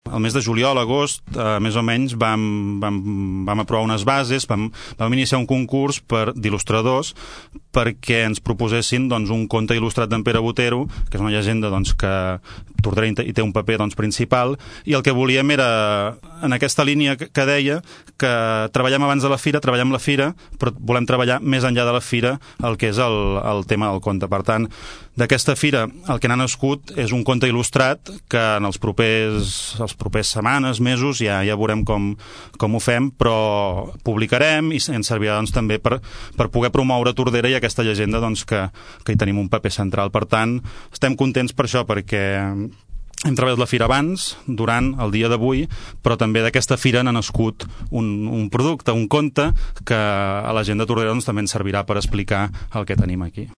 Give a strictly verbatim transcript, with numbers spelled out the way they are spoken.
Al mes de juliol, agost, eh, més o menys, vam, vam, vam aprovar unes bases, vam, vam iniciar un concurs per d'il·lustradors perquè ens proposessin doncs, un conte il·lustrat d'en Pere Botero, que és una llegenda doncs, que Tordera hi té un paper doncs, principal, i el que volíem era, en aquesta línia que deia, que treballem abans de la fira, treballem la fira, però volem treballar més enllà de la fira el que és el, el tema del conte. Per tant, d'aquesta fira el que n'ha nascut és un conte il·lustrat que en els propers, els propers setmanes, mesos, ja, ja veurem com, com ho fem, però publicarem i ens servirà doncs, també per, per poder promoure Tordera i aquesta llegenda doncs, que, que hi tenim un paper central. Per tant, estem contents per això, perquè hem treballat la fira abans, durant el dia d'avui, però també d'aquesta fira n'ha nascut un, un producte, un conte, que a la gent de Tordera doncs, també ens servirà per explicar el que tenim aquí.